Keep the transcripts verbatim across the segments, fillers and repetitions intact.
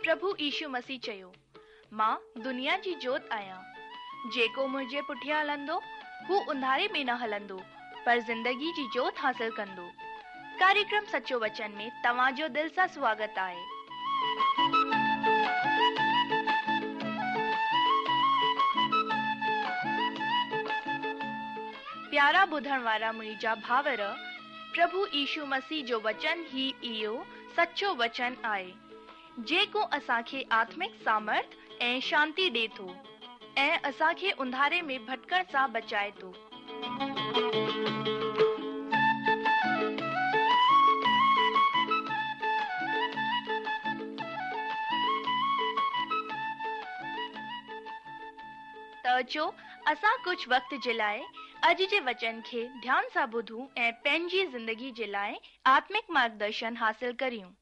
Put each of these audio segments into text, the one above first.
پرڀو يشو مسيح چيو، مان دنيا جي جوت آهيان. جيڪو منهنجي پٺيان هلندو، هو انڌاري ۾ نه هلندو، پر زندگي جي جوت حاصل ڪندو. ڪاريڪرم سچو وچن ۾ توهان جو دل سان سواگت آهي. پيارا ٻڌڻ وارا منهنجا ڀائر، پرڀو يشو مسيح جو وچن ئي اهو سچو وچن آهي، جيڪو اسان کي آتمڪ سامرٿ ۽ شانتي ڏئي ٿو ۽ اسان کي انڌاري ۾ ڀٽڪڻ سان بچائي ٿو. ته اچو اسان ڪجهه وقت جي لاء اڄ جي وچن کي ڌيان سان ٻڌون ۽ پنهنجي زندگي جي لاء آتمڪ مارگدرشن حاصل ڪريون.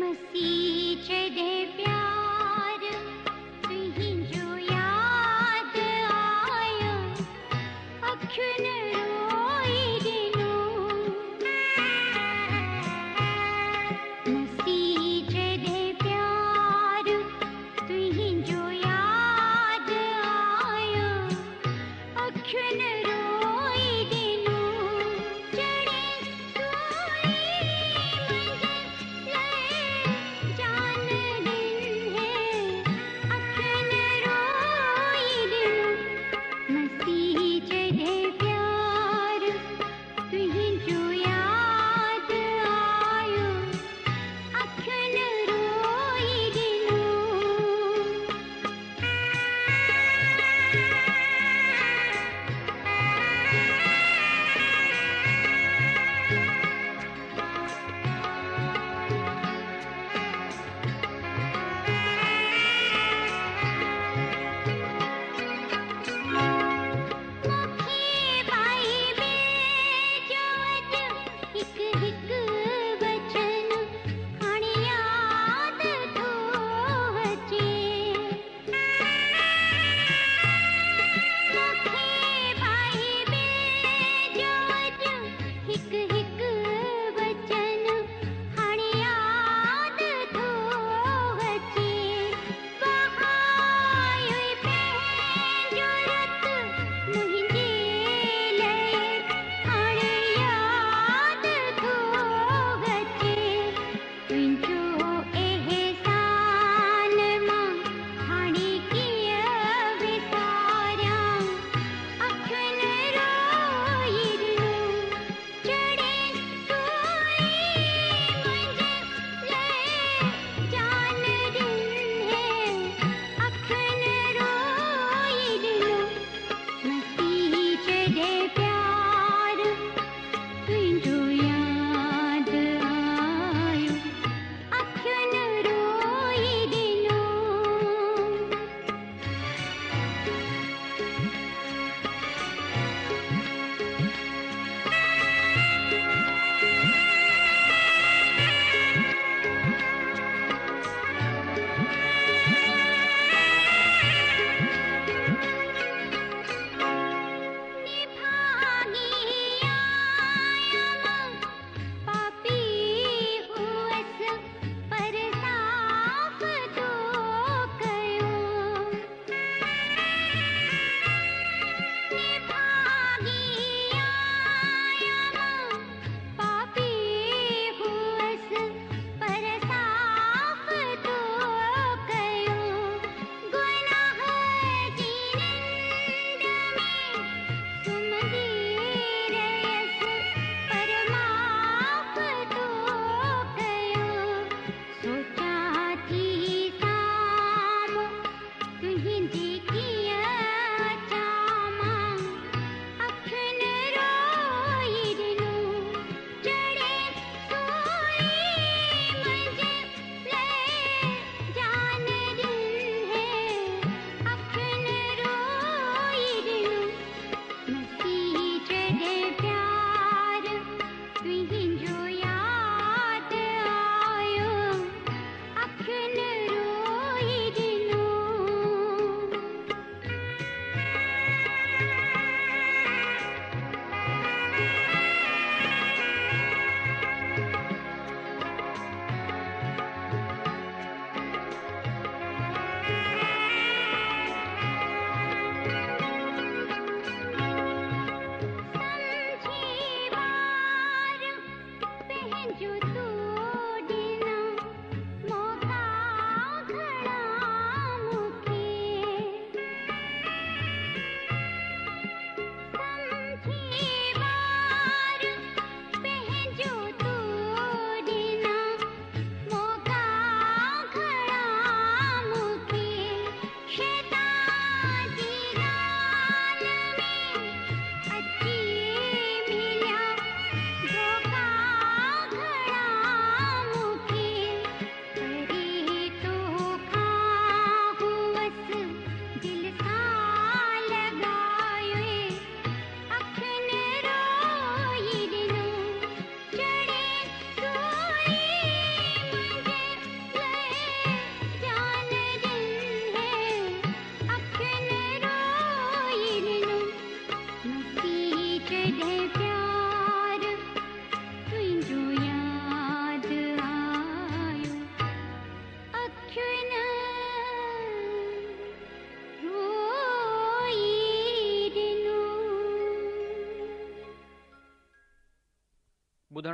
مسيح جڏهن پيار تنهنجو ياد آيو، اکين روئي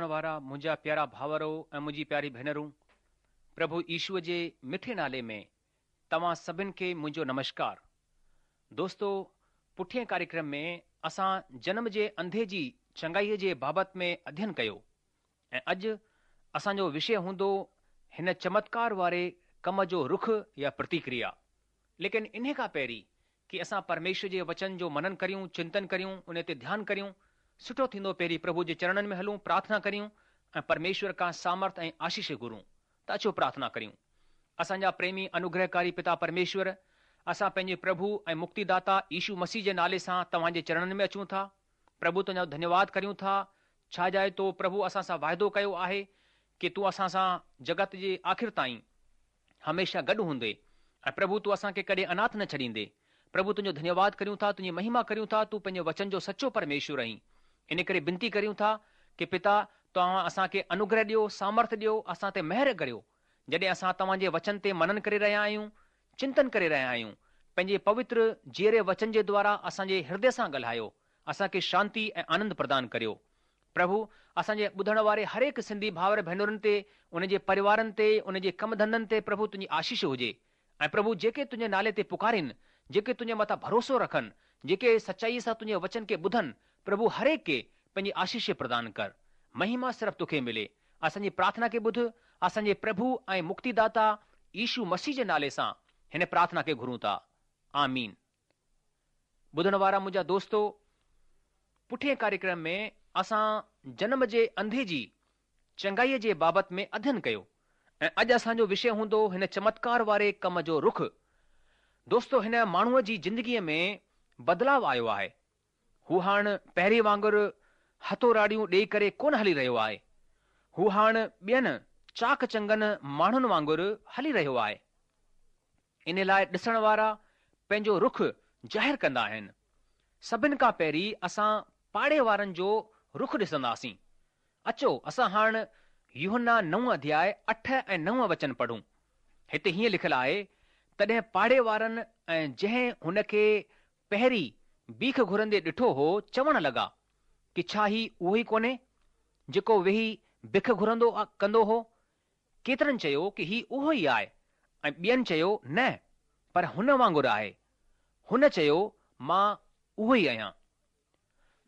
ٻڌڻ وارا منهنجا پيارا ڀائرو ۽ منهنجي پياري ڀينرون، پرڀو يشوء جي مٺي نالي ۾ توهان سڀن کي منهنجو نمشڪار. دوستو، پٺئين ڪاريڪرم ۾ اسان جنم جي انڌي جي چڱائيء جي بابت ۾ اڌين ڪيو ۽ اڄ اسان جو وشي هوندو هن چمتڪار واري ڪم جو رخ يا پرتڪريا. ليڪن انهي کان پهرين ڪي اسان پرميشور جي وچن جو منن ڪريون، چنتن ڪريون، ان تي ڌيان ڪريون، سٺو ٿيندو پهرين پرڀو جي چرڻن ۾ هلون، پرارٿنا ڪريون ۽ پرميشور کان سامرٿ ۽ آشيش گهرون. ته اچو پرارٿنا ڪريون. اسان جا پريمي انوگرهڪاري پتا پرميشور، اسان پنهنجي پرڀو ۽ مڪتيداتا يشو مسيح جي نالي سان توهان جي چرڻن ۾ اچون ٿا. پرڀو تنهنجو ڌنيواد ڪريون ٿا، ڇا جاءِ تو پرڀو اسان سان واعدو ڪيو آهي ڪي تون اسان سان جڳت جي آخر تائين هميشه گڏ هوندي ۽ پرڀو تون اسان کي ڪڏهن اناٿ نه ڇڏيندي. پرڀو تنهنجو ڌنيواد ڪريون ٿا، تنهنجي مهما ڪريون ٿا، تون پنهنجي وچن جو سچو پرميشور آهين. ان ڪري بنتي ڪريون ٿا ڪي پتا توهان اسان کي انوگرهه ڏيو، سامرٿ ڏيو، اسان تي مهر ڪريو. جڏهن اسان توهان جي وچن تي منن ڪري رهيا آهيون، چنتن ڪري رهيا آهيون، پنهنجي پوتر جيئري وچن جي دوارا اسان جي هردي سان ڳالهايو، اسان کي شانتي ۽ آنند پردان ڪريو. پرڀو، اسان جي ٻڌڻ واري هر هڪ سنڌي ڀائر ڀينرن تي، ان جي پريوارن تي، ان جي ڪم ڌنڌن تي پرڀو تنهنجي آشيش هجي. ۽ پرڀو جيڪي تنهنجي نالي تي پڪارين، جيڪي تنهنجي مٿان ڀروسو رکن، جيڪي سچائيء سان تنهنجي وچن کي ٻڌن، پرڀو هر هڪ کي پنهنجي آشيش پردان ڪر. مهما صرف توکي ملي. اسان جي پرارٿنا کي ٻڌ، اسان جي پرڀو ۽ مڪتيداتا يشو مسيح جي نالي سان هن پرارٿنا کي گهرون ٿا. آمين. ٻڌڻ وارا منهنجا دوستو، پٺئين ڪاريڪرم ۾ اسان جنم جي انڌي جي چڱائيء جي بابت ۾ اڌين ڪيو ۽ اڄ اسان جو وشي هوندو هن چمتڪار واري ڪم جو رخ. دوستو، هن ماڻهوء جي زندگيء ۾ بدلاء آيو آهي. هو هاڻ پهرين وانگر هٿوراڙيون ڏيئي ڪري ڪونه هلي رهيو آهي. هو هاڻ ٻين چاق چڱن ماڻهن وانگر هلي رهيو آهي. ان لاء ڏسڻ وارا پنهنجو رخ ظاهر ڪندا آهن. سڀن کان پهرين اسان پاڙي وارن جو رخ ڏسنداسين. اچو اسان هاڻ يوحنا نو اڌياء اٺ ۽ نو وچن پڙهون. هتي هيئن لکيل آهي، تڏهن پاڙي وارن ۽ جنهن هن کي پهرين بيک گهرندي ڏٺو هو، چوڻ لڳا ڪي ڇا هي اهو ئي ڪونهي جيڪو ويهي بک گهرندو ڪندو هو؟ ڪيترن چيو ڪي هي اهو ئي آهي ۽ ٻين چيو نه، پر هن وانگر آهي. هن چيو مان اهو ئي آهيان.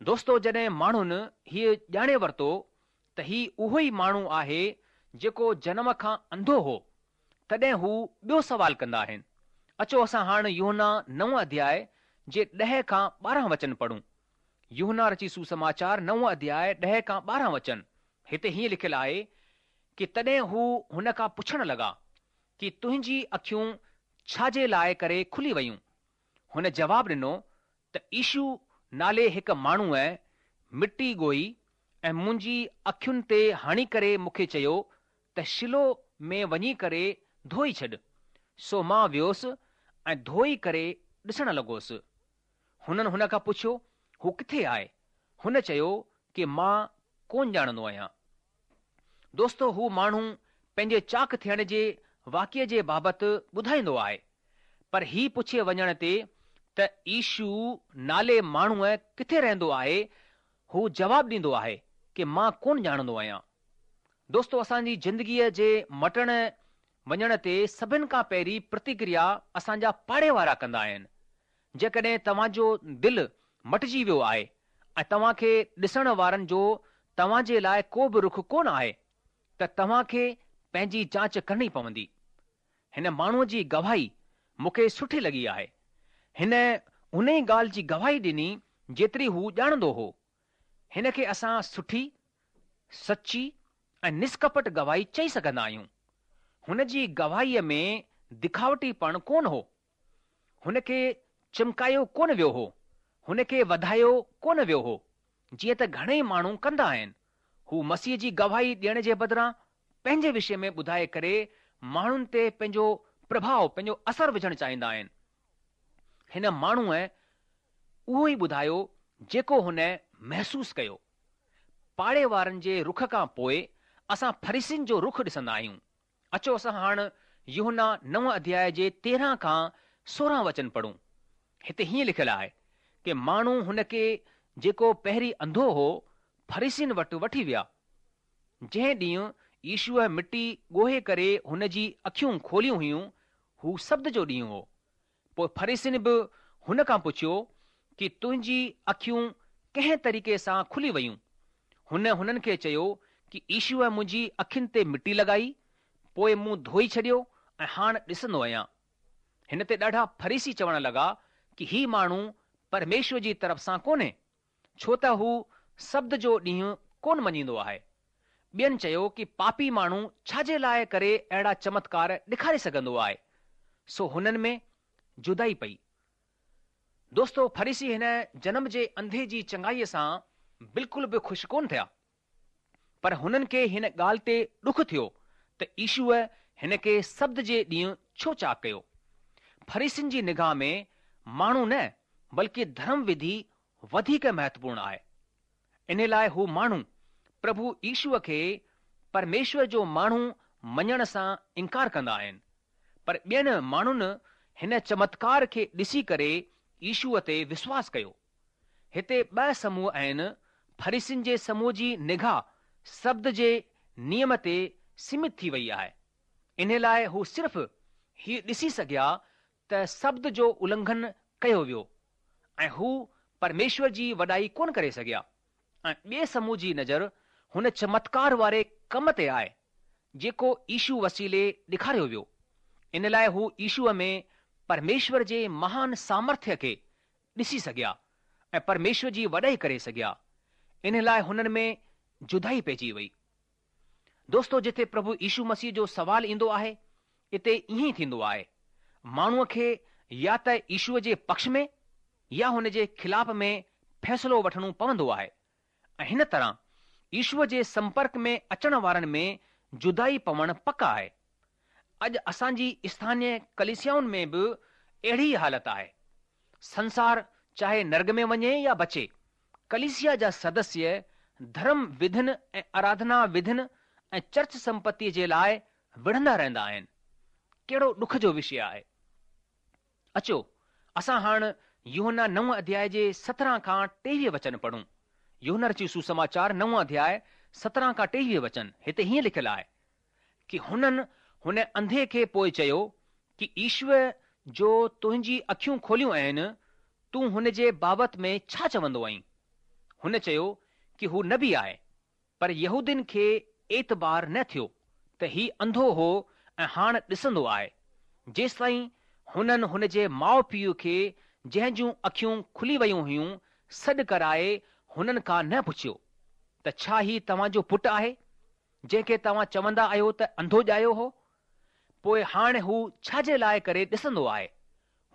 دوستو، جڏهن ماڻهن هيء ڄاڻي ورتو ته هي اهو ئي ماڻهو آهي جيڪو جنم کان انڌو هو، تڏهن هو ٻيو سوال ڪندا آهن. اچو اسان هاڻ يوحنا نو اڌياء جي ڏهه کان ٻارهن وچن پڙهون. يوحنا رچي سوسماچار نو اڌياء ڏهه کان ٻارهن وچن. هتي هيئن لکيل آهي ڪي تڏهن هو هن کان پڇڻ لڳا ڪي تنهنجي اکيون ڇا جي لاء ڪري کلي ويون؟ هن جواب ڏنو ته يشو نالي هڪ ماڻهوء مٽي ڳوهي ۽ منهنجي اکين تي هڻي ڪري مون کي چيو ته شيلوه ۾ وڃي ڪري ڌوئي ڇڏ. سو مان ويوس ۽ ڌوئي ڪري ڏسڻ لڳوس. هنن هن کان پڇيو، هو ڪٿي آهي؟ هن چيو ڪي مان ڪونه ڄاڻندو آهيان. دوستو، هو ماڻهو پنهنجي چاڪ ٿيڻ جي واقعي جي بابت ٻڌائيندو آهي، پر هي پڇي وڃڻ تي ته يشو نالي ماڻهوء ڪٿي رهندو آهي، هو جواب ڏيندو آهي ڪي مان ڪونه ڄاڻندو آهيان. دوستو، اسان جي زندگيء جي مٽڻ وڃڻ تي سڀن کان پهرين پرتڪريا اسان جا پاڙي وارا ڪندا آهن. جيڪڏهن توهان جو دل مٽجي ويو آهي ۽ توهان کي ڏسڻ وارن جو توهان جي لاء ڪو به رخ ڪونه آهي ته توهان کي پنهنجي جانچ ڪرڻي پوندي. هن ماڻهوء جي گواهي مون کي سٺي لڳي آهي. هن انهي ڳالهه جي گواهي ڏني جيتري هو ڄاڻندو هو. هن کي اسان سٺي، سچي ۽ نسڪپٽ گواهي چئي سگهندا آهيون. هن جي گواهيء ۾ دکاوٽيپڻ ڪونه هو. هن کي چمڪايو ڪونه ويو هو. هن کي وڌايو ڪونه ويو هو، جيئن ته گهڻئي ماڻهو ڪندا آهن. هو مسيح جي گواهي ڏيڻ جي بدران پنهنجي وشي ۾ ٻڌائي ڪري ماڻهن تي پنهنجو پرڀاء، پنهنجو اثر وجهڻ چاهيندا آهن. هن ماڻهوء اهو ئي ٻڌايو جيڪو هن محسوس ڪيو. پاڙي وارن جي رخ کان پوء اسان فريسين جو رخ ڏسندا آهيون. اچو اسان هاڻ يوحنا نو اڌياء جي تيرهن کان سورهن وچن پڙهون. هتي هيئن لکيل آهي ڪي ماڻهو هن کي جيڪو پهرين انڌو هو فريسين وٽ وٺي ويا. جنهن ڏينهن يشوء مٽي ڳوهي ڪري هن جي اکيون کوليون هيون، هو سبت جو ڏينهن هو. پوءِ فريسين به هن کان پڇيو ڪه تنهنجي اکيون ڪنهن طريقي سان کلي ويون؟ هن هنن کي چيو ڪه يشوء منهنجي اکين تي مٽي لڳائي، پوءِ مون ڌوئي ڇڏيو ۽ هاڻ ڏسندو آهيان. هن تي ڏاڍا فريسي چوڻ لڳا ڪه هي ماڻهو پرميشور جي طرف سان ڪونهي، ڇو ته هو سبت جو ڏينهن ڪونه مڃيندو آهي. ٻين چيو ڪه پاپي ماڻهو ڇا جي لاءِ ڪري اهڙا چمتڪار ڏيکاري سگهندو آهي؟ سو هنن ۾ جدائي پئي. دوستو، فريسي هن جنم جي انڌي جي چڱائيءَ سان بلڪل به خوش ڪونه ٿيا، پر هنن کي هن ڳالهه تي ڏک ٿيو ته يشوءَ هن کي سبت جي ڏينهن ڇو چاڪ ڪيو. فريسين جي نگاهه ۾ ماڻهو نه بلڪه ڌرم وڌي وڌيڪ مهتوپورڻ آهي. ان لاءِ هو ماڻهو پرڀو يشوءَ کي پرميشور جو ماڻهو مڃڻ سان انڪار ڪندا آهن، پر ٻين ماڻهن هن چمتڪار کي ڏسي ڪري يشوءَ تي وشواس ڪيو. هتي ٻه سموهه آهن. فريسين جي سموهه جي نگاهه سبت جي نيم تي سيمت ٿي وئي آهي. ان لاءِ هو صرف هيءُ ڏسي سگهيا ته سبت جو النگهن ڪيو ويو ۽ هو پرميشور جي وڏائي ڪونه ڪري سگهيا. ۽ ٻئي سموهه جي نظر هن چمتڪار واري ڪم تي آهي جيڪو يشو وسيلي ڏيکاريو ويو. ان لاءِ هو يشوءَ ۾ پرميشور جي مهان سامرٿيه کي ڏسي سگهيا ۽ پرميشور جي وڏائي ڪري سگهيا. ان لاءِ هنن ۾ جدائي پئجي وئي. دوستو، جتي پرڀو يشو مسيح جو سوال ايندو آهي، اتي ائين ئي ٿيندو آهي. ماڻهوءَ کي يا ته يشوءَ جي پڪش ۾ يا هن جي خلاف ۾ فيصلو وٺڻو پوندو آهي ۽ هن طرح يشوءَ جي سمپرڪ ۾ اچڻ وارن ۾ جدائي پوڻ پڪ آهي. اڄ اسان جي اسٿانيه ڪليسيائن ۾ به اهڙي ئي حالت آهي. سنسار چاهي نرڳ ۾ وڃي يا بچي، ڪليسيا جا سدسيه ڌرم وڌين ۽ آراڌنا وڌين ۽ چرچ سمپتيءَ جي لاءِ وڙهندا رهندا آهن. ڪهڙو ڏک جو وشيه آهي. اچو اسان هاڻ يوحنا نو اڌياءِ جي سترهن کان ٽيويهه وچن پڙهون. يوحنا رچي سسماچار نو اڌياءِ سترهن کان ٽيويهه وچن هتي هيئن لکيل آهي ڪه هنن هن انڌي کي پوءِ چيو ڪه ايشور جو تنهنجي اکيون کوليون آهن، تون هن جي بابت ۾ ڇا چوندو آهين؟ هن چيو ڪه هو نبي آهي. پر يهودين کي اعتبار نه ٿيو ته هي انڌو هو ۽ هاڻ ڏسندو آهي، جيستائين هنن هن جي ماءُ پيءُ کي جنهن جون اکيون کلي ويون هيون سڏ ڪرائي هنن کان نه پڇيو ته ڇا هي توهان جو پٽ آهي جنهن کي توهان چوندا آهيو ته انڌو ڄايو هو؟ پوءِ هاڻي هو ڇا جي لاءِ ڪري ڏسندو آهي؟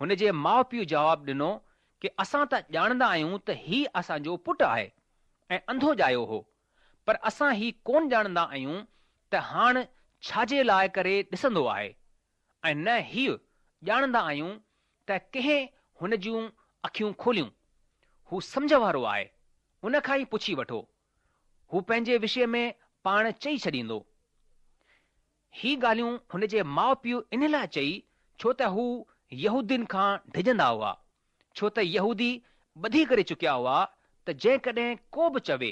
هن جي ماءُ پيءُ جواب ڏنو ڪه اسان ته ڄاڻندا آهيون ته هي اسان جو پٽ آهي ۽ انڌو ڄايو هو، پر اسان هي ڪونه ڄاڻندا آهيون ته هاڻ ڇا جي لاءِ ڪري ڏسندو آهي، ۽ نه هيءُ ڄاڻندا آهيون ته ڪنهن هن جون اکيون کوليون. هو سمجهه وارو آهي، ان کان ئي پڇي وٺو. هو پنهنجي وشيه ۾ پاڻ چئي ڇڏيندو. هي ڳالهيون هن جي ماءُ پيءُ ان لاءِ چئي ڇو ته هو يهودين کان ڊڄندا هئا، ڇو ته يهودي ٻڌي ڪري چڪيا هئا ته جيڪڏهن ڪو به چوي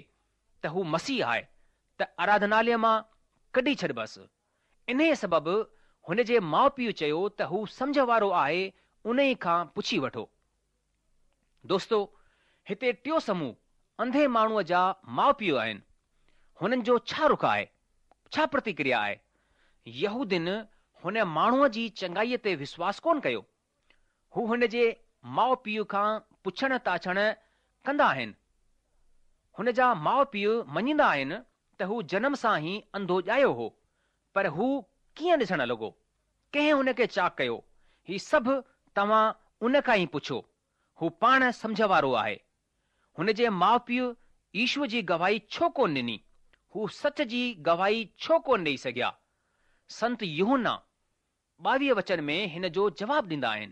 ته هو مسيح آهي ته آراڌناليه مان ڪڍي ڇڏبس. انهيءَ سبب هن جي ماءُ پيءُ چيو ته هو سمجهه وارو آهي، ان ئي کان پڇي وٺو. دوستو، هتي ٽيون سموهه انڌي ماڻهوءَ جا ماءُ پيءُ آهن. هنن جو ڇا رخ آهي، ڇا پرتڪريا آهي؟ يهودين هن ماڻهوءَ جي چڱائيءَ تي وشواس ڪونه ڪيو. هو هن جي ماءُ پيءُ کان پڇڻ تاڇڻ ڪندا آهن. هن جا ماءُ پيءُ مڃيندا آهن ته هو جنم سان ئي انڌو ڄايو هو، پر هو ڪيئن ڏسڻ لڳو؟ ڪنهن هن کي چاڪ ڪيو؟ هي سڀ توهان ان کان ئي پڇو. هو پاڻ سمجهه وارو آهي. هن جي ماءُ پيءُ ايشور جي گواهي ڇو ڪونه ڏني؟ هو سچ جي گواهي ڇو ڪونه ڏيئي سگهيا؟ سنت يوحنا ٻاويهه وچن ۾ هن جو جواب ڏيندا آهن.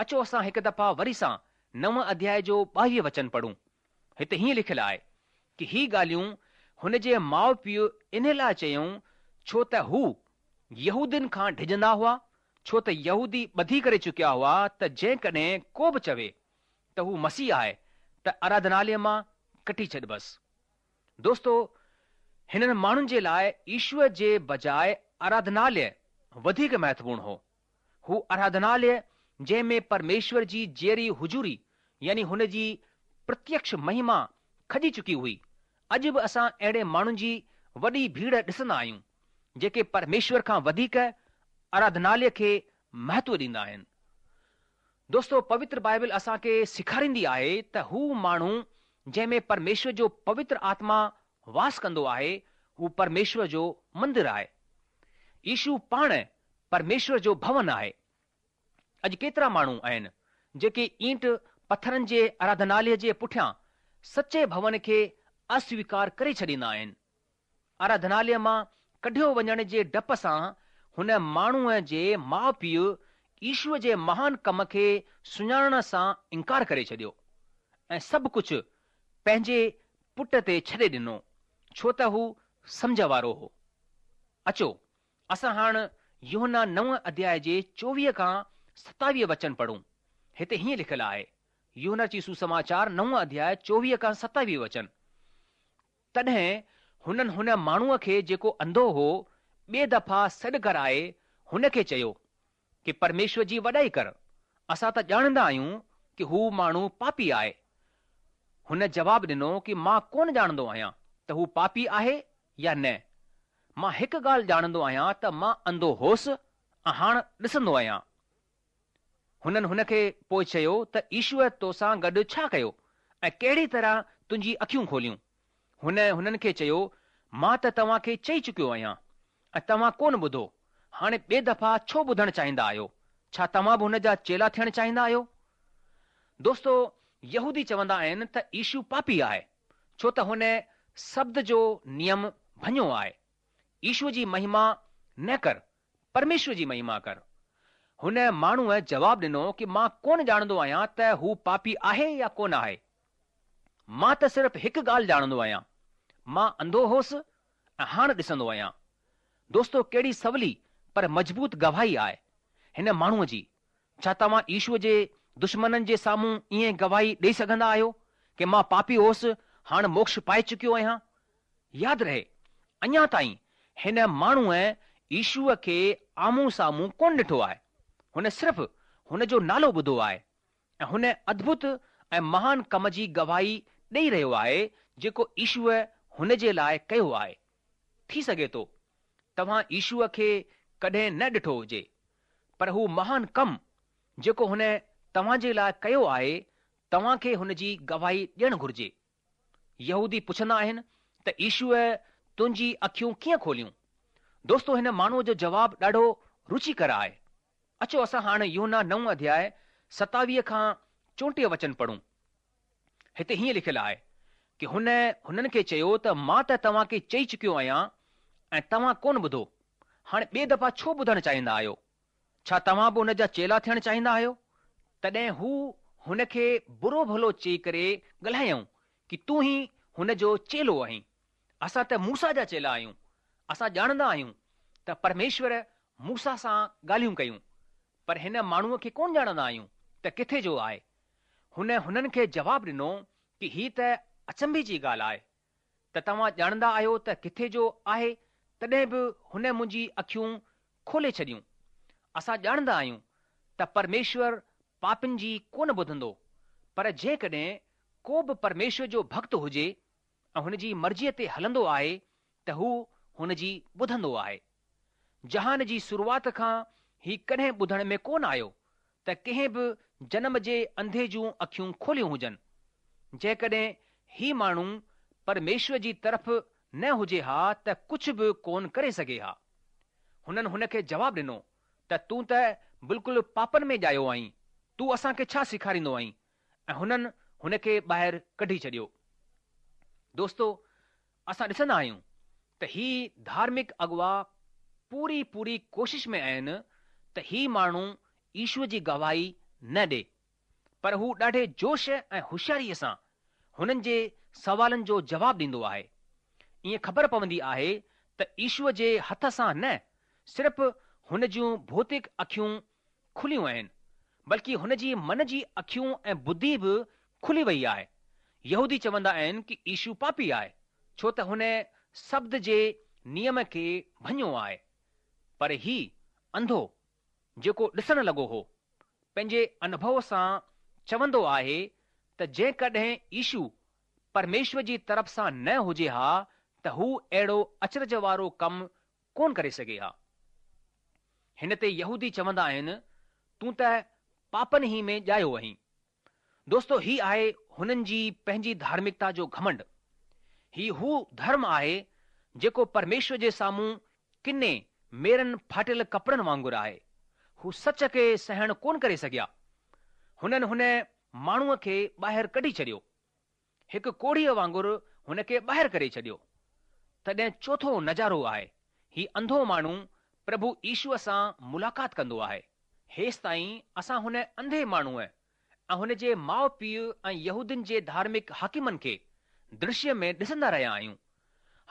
اچو اسان هڪ دفعا وري سان نو اڌياءِ جو ٻاويهه وچن پڙهون. هتي هيئن لکيل آهي ڪه هي ڳالهيون هن جي ماءُ پيءُ ان لاءِ چيون ڇو ته هو يهودين کان ڊڄندا هئا، ڇو ته يهودي ٻڌي ڪري چڪيا هئا ته جيڪڏهن ڪو به چوي ته هو مسيح آهي ته آراڌناليه مان ڪڍي ڇڏبس. دوستو، هنن ماڻهن جي لاء ايشوء جي بجاء آراڌناليه وڌيڪ مهتوپورڻ هو. هو آراڌناليه جنهن ۾ پرميشور جي جيئري حضوري يعني هن جي پرتيڪش مهما کڄي چڪي هئي. اڄ به اسان اهڙي ماڻهن جي وڏي ڀيڙ ڏسندا آهيون، جيڪي پرميشور کان وڌيڪ آراڌناليه کي مهتو ڏيندا آهن. دوستو، پوتر بائبل اسان کي سيکاريندي آهي ته هو ماڻهو جنهن ۾ پرميشور جو پوتر آتما واس ڪندو آهي، هو پرميشور جو مندر آهي. يشو پاڻ پرميشور جو ڀون آهي. اڄ ڪيترا ماڻهو آهن جيڪي اينٽ پٿرن جي آراڌناليه جي پٺيان سچي ڀون کي اسويڪار ڪري ڇڏيندا آهن. آراڌناليه مان ڪڍيو وڃڻ جي ڊپ سان هن ماڻهوء جي ماء پيء يشوء جي مهان ڪم کي سڃاڻڻ سان انڪار ڪري ڇڏيو ۽ سڀ ڪجهه پنهنجي پٽ تي ڇڏي ڏنو، ڇو ته هو سمجهه وارو هو. اچو، اسان هاڻ يوحنا نو اڌياء جي چوويهه کان ستاويهه وچن پڙهون. هتي هيئن لکيل آهي، يوحنا جي سوسماچار نو اڌياء چوويهه کان ستاويهه وچن. تڏهن هنن هن ماڻهوء کي جيڪو انڌو هو، ٻئي دفعا سڏ ڪرائي هن کي چيو ڪي پرميشور جي وڏائي ڪر، اسان ته ڄاڻندا آهيون ڪي هو ماڻهو پاپي آهي. هن جواب ڏنو ڪي مان ڪونه ڄاڻندو آهيان ته هو پاپي آهي يا نه. مان هڪ ڳالهه ڄاڻندو آهيان ته مان انڌو هوس ۽ هاڻ ڏسندو آهيان. هنن هن کي پوء چيو ته يشوء توسان گڏ ڇا ڪيو ۽ ڪهڙي طرح تنهنجي اکيون کوليون؟ هن هنن کي چيو، مان ته توهان کي چئي چڪيو آهيان ۽ توهان ڪونه ٻڌو. هاڻي ٻئي دفعا ڇو ٻڌڻ چاهيندا آهيو؟ ڇا توهان به هن جا چيلا ٿيڻ چاهيندا آهيو؟ دوستو، يهودي چوندا آهن ته يشو پاپي آهي، ڇو ته هن سبت جو نيم ڀڃيو آهي. يشوء جي مهما نه ڪر، پرميشور جي مهما ڪر. هن ماڻهوء جواب ڏنو ڪي مان ڪونه ڄاڻندو آهيان ته هو پاپي آهي يا ڪونه آهي. مان ته صرف هڪ ڳالهه ڄاڻندو آهيان، مان انڌو هوس ۽ هاڻ ڏسندو آهيان. دوستو، ڪهڙي سولي پر مضبوط گواهي آهي هن ماڻهوء جي. ڇا توهان يشوء جي دشمنن جي سامهون ائين گواهي ڏئي سگهندا آهيو ڪي مان پاپي هوس، هاڻ موڪش پائي چڪيو آهيان؟ ياد رهي، اڃا تائين هن ماڻهوء يشوء کي آمهون سامهون ڪونه ڏٺو آهي. هن صرف هن جو نالو ٻڌو آهي ۽ هن ادڀت ۽ مهان ڪم جي گواهي ڏئي رهيو آهي جيڪو يشوء هن جي لاء ڪيو آهي. ٿي سگهي ٿو توهان يشوء کي ڪڏهن نه ڏٺو هجي، پر هو مهان ڪم جيڪو هن توهان جي لاء ڪيو آهي، توهان کي هن جي گواهي ڏيڻ گهرجي. يهودي پڇندا آهن ته يشوء تنهنجي اکيون ڪيئن کوليون؟ دوستو، هن ماڻهوء جو جواب ڏاڍو رچيڪر آهي. اچو اسان هاڻ يوحنا نو اڌياء ستاويهه کان چوٽيهه وچن پڙهون. هتي هيئن لکيل آهي ڪي هن هنن کي چيو ته مان ته توهان کي چئي چڪيو آهيان ۽ توهان ڪونه ٻڌو. هاڻي ٻئي دفعا ڇو ٻڌڻ چاهيندا آهيو؟ ڇا توهان به هن جا چيلا ٿيڻ چاهيندا آهيو؟ تڏهن هو هن کي برو ڀلو چئي ڪري ڳالهايائون ڪي تون ئي هن جو چيلو آهين. اسان ته موسيٰ جا چيلا آهيون. اسان ڄاڻندا آهيون ته پرميشور موسيٰ سان ڳالهيون ڪيون، پر هن ماڻهوء کي ڪونه ڄاڻندا آهيون ته ڪٿي جو آهي. هن هنن کي جواب ڏنو ڪي هي ته اچنڀي جي ڳالهه آهي ته توهان ڄاڻندا آهيو ته ڪٿي جو آهي، تڏهن به هن منهنجي اکيون کولي ڇڏيون. اسان ڄاڻندا آهيون ته پرميشور پاپين جي ڪونه ٻڌندو، پر جيڪڏهن ڪو به پرميشور جو ڀڳت هجي ۽ هن جي مرضيء تي هلندو آهي ته هو هن جي ٻڌندو آهي. جهان جي شروعات کان هي ڪڏهن ٻڌڻ ۾ ڪونه آيو ته ڪنهن به جنم جي انڌي جون اکيون کوليون هجن. جيڪڏهن هي ماڻهو پرميشور جي طرف نه هجي ها ته ڪجهه به ڪونه ڪري سگهي ها. هنن هن کي جواب ڏنو ته تون ته بلڪل پاپن ۾ ڄايو آهين، تون اسان کي ڇا سيکاريندو آهين؟ ۽ هنن هن کي ٻاهر ڪڍي ڇڏيو. دوستو، اسان ڏسندا آهيون ته هي ڌارمڪ اڳوا پوري پوري ڪوشش ۾ آهن ته هي ماڻهو يشوء جي گواهي نه ڏي، پر هو ڏاڍي جوش ۽ هوشياريء سان هنن جي سوالن جو جواب ڏيندو آهي. ائين خبر پوندي آهي ته يشوء جي هٿ سان نه صرف هن جون ڀوتڪ اکيون کليون آهن، بلڪه هن جي من جي اکيون ۽ ٻڌي به کلي وئي آهي. يهودي چوندا آهن ڪي يشو پاپي آهي، ڇو ته هن سبت جي نيم کي ڀڃيو آهي. پر هي انڌو جيڪو ڏسڻ لڳو هو، پنهنجي انڀو سان چوندو آهي ته جيڪڏهن يشو پرميشور جي طرف سان نه هجي ها ته هو اهڙو اچرج وارو ڪم ڪونه ڪري سگهي ها. هن تي يهودي چوندا آهن، تون ته پاپن ئي ۾ ڄايو آهين. دوستو هي آهي هنن جي پنهنجي ڌارمڪتا جو گهمنڊ. هي هو ڌرم آهي جيڪو پرميشور جي سامهون ڪني ميرن ڦاٽل ڪپڙن وانگر آهي. هو سچ کي سهڻ ڪونه ڪري سگهيا. هنن هن ماڻهوء کي ٻاهر ڪڍي ڇڏيو. هڪ ڪوڙهيء وانگر هن کي ٻاهر ڪري ڇڏيو. تڏهن چوٿون نظارو آهي. هي انڌو ماڻهو پرڀو يشوء سان ملاقات ڪندو آهي. هيستائين اسان هن انڌي ماڻهوء ۽ هن جي ماء پيء ۽ يهودين جي ڌارمڪ حاڪمن کي درشيه ۾ ڏسندا رهيا آهيون.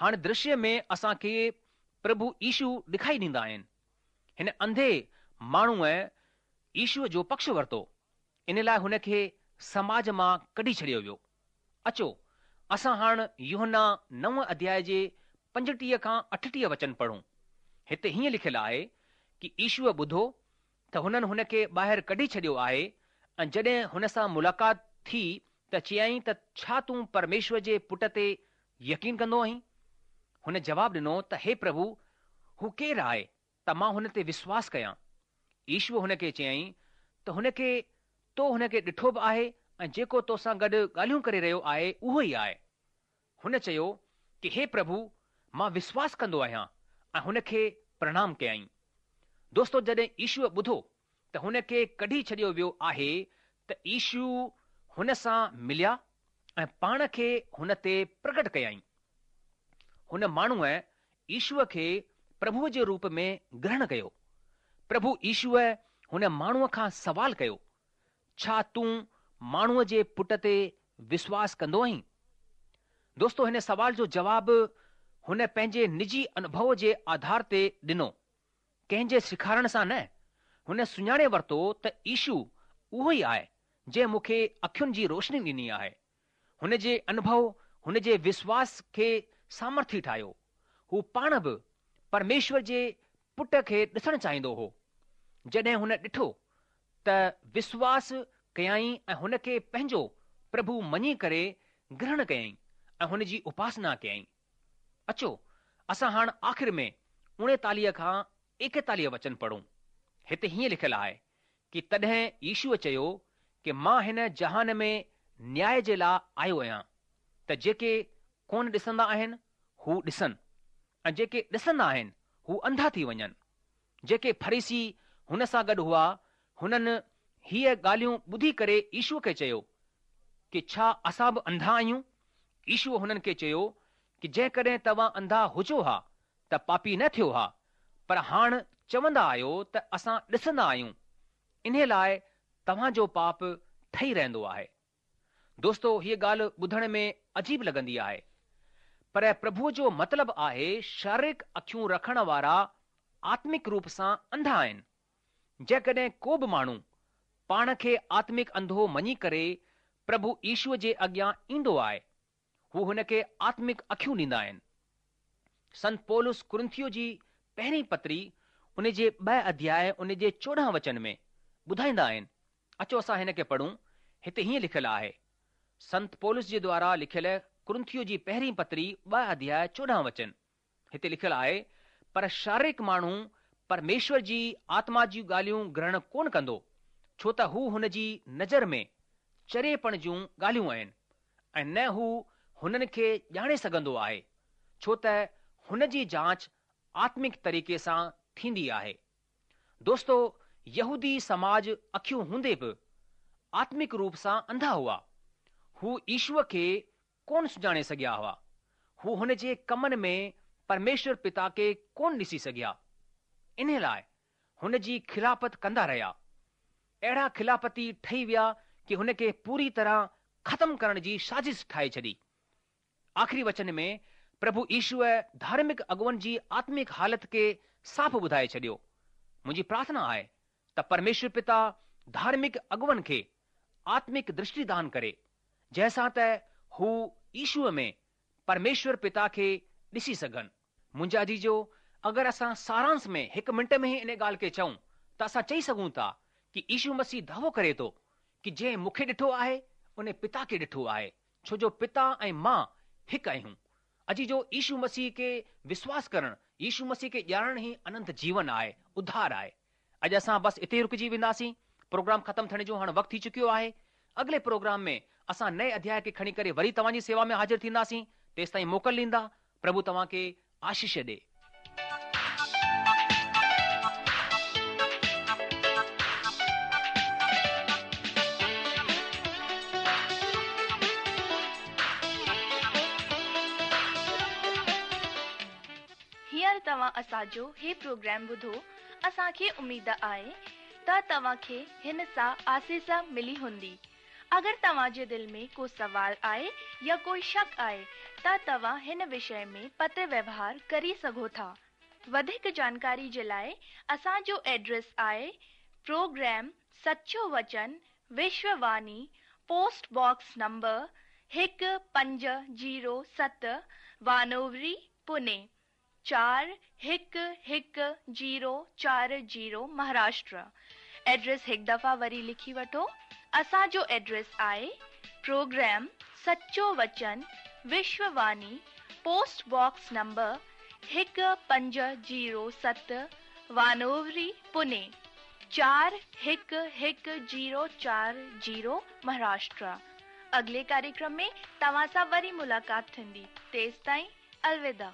هاڻي درشيه ۾ اسان کي پرڀو يشو ڏکائي ڏيندا آهن. هن انڌي ماڻهوء يشوء جو پڪش ورتو. ان لاءِ هن کي سماج مان ڪڍي ڇڏيو ويو. اچو، اسان هاڻ يوحنا نو اڌياءِ جي پنجٽيهه کان اٺٽيهه وچن پڙهون. هتي هيئن لکيل آهي ڪه يشوء ٻڌو ته هنن هن کي ٻاهر ڪڍي ڇڏيو آهي ۽ جڏهن هن سان ملاقات ٿي ته چيائين ته ڇا تون پرميشور جي پٽ تي يقين ڪندو آهين؟ هن جواب ڏنو ته هي پرڀو، هو ڪير آهي ته مان هن تي وشواس ڪيان؟ يشوء هن کي چيائين ته هن کي تو هن کي ڏٺو به آهي ۽ جيڪو تو سان گڏ ڳالهيون ڪري رهيو آهي اهو ئي آهي. هن چيو ڪه هي پرڀو، مان وشواس ڪندو آهيان ۽ هن کي پرڻام ڪيائين. دوستو جڏهن يشوء ٻڌو ته هن کي ڪڍي ڇڏيو ويو آهي ته يشو هن سان مليا ۽ پاڻ کي هن تي پرگٽ ڪيائين. هن ماڻهوءَ يشوء کي پرڀوءَ جي روپ ۾ گرهڻ ڪيو. پرڀو يشوءَ هن ماڻهوءَ کان سوال ڪيو، ڇا تون ماڻهوءَ جي پٽ تي وشواس ڪندو آهين؟ دوستو هن سوال جو جواب هن پنهنجي نجي انڀو جي آڌار تي ڏنو، ڪنهن جي سيکارڻ سان نه. هن سڃاڻي ورتو ته يشو اهو ئي آهي جنهن مون کي اکين جي روشني ڏني آهي. هن جي انڀو هن جي وشواس کي سامرٿي ٺاهيو. هو پاڻ به پرميشور جي پٽ کي ڏسڻ چاهيندو هو. جڏهن هن ڏٺو ته وشواس ڪيائين ۽ هن کي پنهنجو پرڀو مڃي ڪري گرهڻ ڪيائين ۽ هن جي اپاسنا ڪيائين. اچو اسان هاڻ آخر ۾ اڻيتاليهه کان ايڪيتاليهه وچن پڙهون. هتي هيئن لکيل آهي ڪه تڏهن يشوءَ چيو ڪه مان هن جهان ۾ نياءِ جي لاءِ آيو آهيان ته جيڪي ڪونه ڏسندا آهن هو ڏسن ۽ جيڪي ڏسندا آهن هو انڌا ٿي وڃن. جيڪي فريسي هن سان گڏ هئا هنن هيءَ ڳالهيون ٻڌي ڪري يشوءَ کي چيو ڪه ڇا اسان به انڌا آهيون؟ يشوءَ هنن کي چيو ڪه جيڪڏهن توهان انڌا هجو ها ته پاپي نه ٿيو ها، پر هاڻ چوندا آهيو ته اسان ڏسندا آهيون، انهيءَ لاءِ توهان جو پاپ ٺهي رهندو آهي. دوستو هيءَ ڳالهه ٻڌڻ ۾ عجيب لڳندي آهي، پر پرڀوءَ جو مطلب آهي شاريرڪ اکيون رکڻ وارا آتمڪ روپ سان انڌا آهن. جيڪڏهن ڪو به ماڻهو پاڻ کي آتمڪ انڌو مڃي ڪري پرڀو يشوءَ جي اڳيان ايندو آهي، هو هن کي آتمڪ اکيون ڏيندا آهن. سنت پولس ڪرنٿيو جي پهرين پتري ان جي ٻه اڌياءِ ان جي چوڏهن وچن ۾ ٻڌائيندا آهن. اچو اسان هن کي پڙهون. هتي هيئن لکيل آهي، سنت پولس جي دوارا لکيل ڪرنٿيو جي پهرين پتري ٻه اڌياءِ چوڏهن وچن، هتي لکيل آهي، پر شاريرڪ ماڻهو پرميشور جي آتما جون ڳالهيون گرهڻ ڪونه ڪندو، ڇو ته هو هن جي نظر ۾ چريپڻ جون ڳالهيون آهن ۽ نه هو هنن کي ڄاڻي سگهندو آهي، ڇو ته هن جي جانچ آتمڪ طريقي سان ٿيندي آهي. دوستو يهودي سماج اکيون هوندي به آتمڪ روپ سان انڌا هئا. هو يشوءَ کي ڪونه سڃاڻي سگهيا هئا. هو هن جي ڪمن ۾ پرميشور پتا کي ڪونه ڏسي سگهيا. ان لاءِ هن جي خلافت ڪندا رهيا. اهڙا خلافتي ٺهي ويا ڪه هن کي پوري طرح ختم ڪرڻ جي سازش ٺاهي ڇڏي. آخري وچن ۾ پرڀو يشوءَ ڌارمڪ اڳواڻن جي آتمڪ حالت کي صاف ٻڌائي ڇڏيو. منهنجي پرارٿنا آهي ته پرميشور پتا ڌارمڪ اڳواڻن کي آتمڪ درشٽي دان ڪري، جنهن سان ته هو يشوءَ ۾ پرميشور پتا کي ڏسي سگهن. منهنجا عزيزو، اگر اسان سارانش ۾ هڪ منٽ ۾ ئي ان ڳالهه کي چئون ته اسان چئي سگهون ٿا ڪي يشو مسيح دعوو ڪري ٿو ڪي جنهن مون کي ڏٺو آهي ان پتا کي ڏٺو آهي، ڇو جو پتا ۽ مان هڪ آهيون. عزيزو، يشو مسيح کي وشواس ڪرڻ، يشو مسيح کي ڄاڻڻ ئي اننت جيون آهي، اڌار آهي. اڄ اسان بس اتي ئي رڪجي وينداسين. پروگرام ختم ٿيڻ جو هاڻ وقت ٿي چڪيو آهي. اڳلي پروگرام ۾ اسان نئين اڌياء کي کڻي ڪري وري توهان جي سيوا ۾ حاضر ٿينداسين. تيستائين موڪل ڏيندا. پرڀو توهان کي آشيش ڏي. هينئر توهان اسان جو هي پروگرام ٻڌو، اسان کي اميد آهي ته توهان کي هن سان آسيس ملي هوندي. اگر توهان جي دل ۾ ڪو سوال آهي يا ڪوئي شڪ آهي ته توهان هن وشي ۾ پتر ويوهار ڪري سگهو ٿا. وڌيڪ جانڪاري جي لاءِ اسان جو ايڊريس آهي پروگرام سچو وچن، وشوواني، پوسٽ باڪس نمبر هڪ پنج زيرو ست، وانووري، پوني چار هڪ هڪ زيرو چار زيرو، مهاراشٽر. ايڊريس هڪ دفعا وري لکي وٺو. اسان جو ايڊريس آهي پروگرام سچو وچن، وشوواني، پوسٽ باڪس نمبر هڪ پنج زيرو ست، وانووري، پوني چار هڪ هڪ زيرو چار زيرو، مهاراشٽر. اڳلي ڪاريڪرم ۾ توهان سان وري ملاقات ٿيندي. تيستائين الوداع.